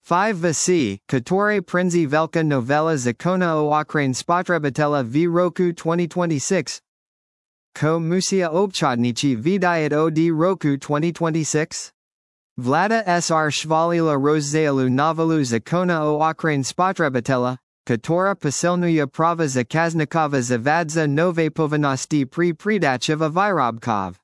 5 Vasi, Katore Prinzi Velka Novela Zakona o Okrain Spotrebitela v Roku 2026. Ko Musia Obchodnichi Vidayat od Roku 2026? Vlada Sr Shvalila Rozzaelu Novalu Zakona o Okrain Spotrebitela, Katora Pasilnuya Prava Zakaznikova Zavadza Nove Povanasti Pri Pridacheva Virobkov.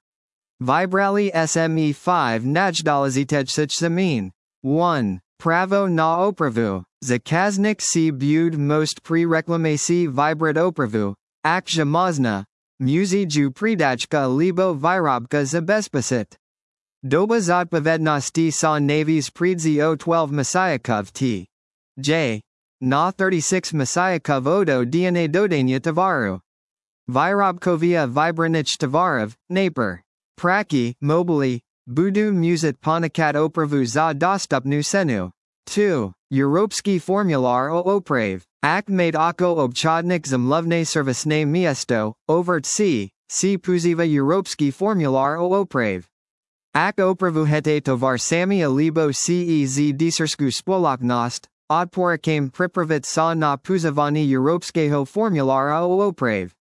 Vibrali SME 5 Najdalazitej Zamin. 1. Pravo na opravu, Zakaznik si bud most pre-reklamasi vibrat opravu, akja mazna, muzi ju pridachka libo virobka zabezpasit. Doba zodpovednosti sa navies pridzi o 12 Messiahkov t. J. Na 36 Messiahkov odo dna dodania tavaru. Virobkovia vibranich tavarov, naper. Praki, mobili, Budu Musit Ponikat Opravu za Dostupnu Senu. 2. Europski Formular o Oprave. Ak made Oko Obchodnik Zamlovne Servisne Miesto, Overt C. Puziva Europski Formular o Oprave. Ak Opravu Hete Tovar Sami Alibo Cez Disersku Spoloknost, Odporakame Pripravit sa na Puzavani Europskeho Formulara o Oprave.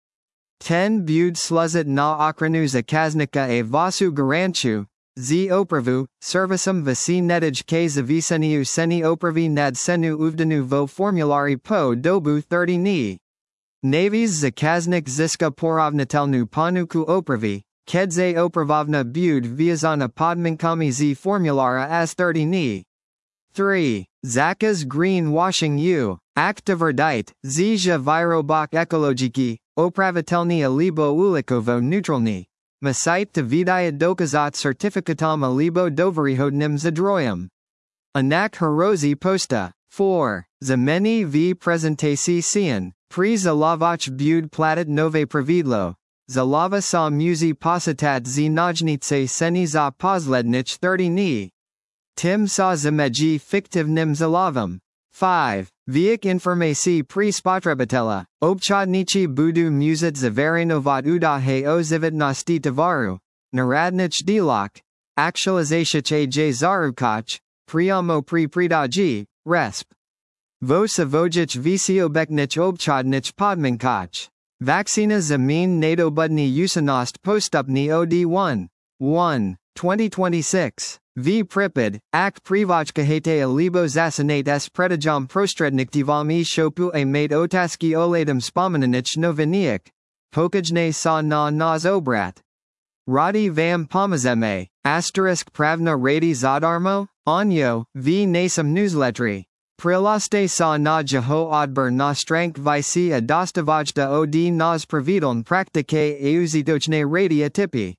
10. Bud Sluzit na Okranu Zakaznika e Vasu Garanchu. Z opravu, servisum vasi nedij k zaviseniu seni opravi nad senu uvdanu vo formulari po dobu 30 ni. Navies zakaznik ziska porovnatelnu panuku opravi, kedze opravovna bud viazana podminkami z formulara as 30 ni. 3. Zakas green washing u, aktiverdite, zja virobok ekologiki, opravitelni alibo ulikovo neutralni. Masite to vidayat dokazat certificatam alibo doverihodnim zadroyum. Anak herozi posta. 4. Zameni v presentasi sian, pri zalavach bud platit nove pravidlo. Zalava sa muzi positat z najnice seni za poslednich 30 ni. Tim sa zameji fiktivnim zalavam. 5. Viek informasi pri spotrebitela, obchodnichi budu muzit zavarinovat udahe o zivitnosti tavaru, narodnich dilok, actualizatiche j zarukach, priamo pri pridaji, resp. Vo savojich visiobeknich obchodnich podminkach. Vaccina zamin nadobudni usanost postupni od1. 1. 2026. V. Pripid, ak privachkahete alibo zasanate s predajam prostredniktivami shopu a made otaski oladum spomenanich noviniak. Pokajne sa na nas obrat. Radi vam pomazeme, asterisk pravna radi zadarmo, onyo, v nasam newslettery. Prilaste sa na jeho odber na strank visi a dostavajda od nas pravidon praktike euzitochne radia tipi.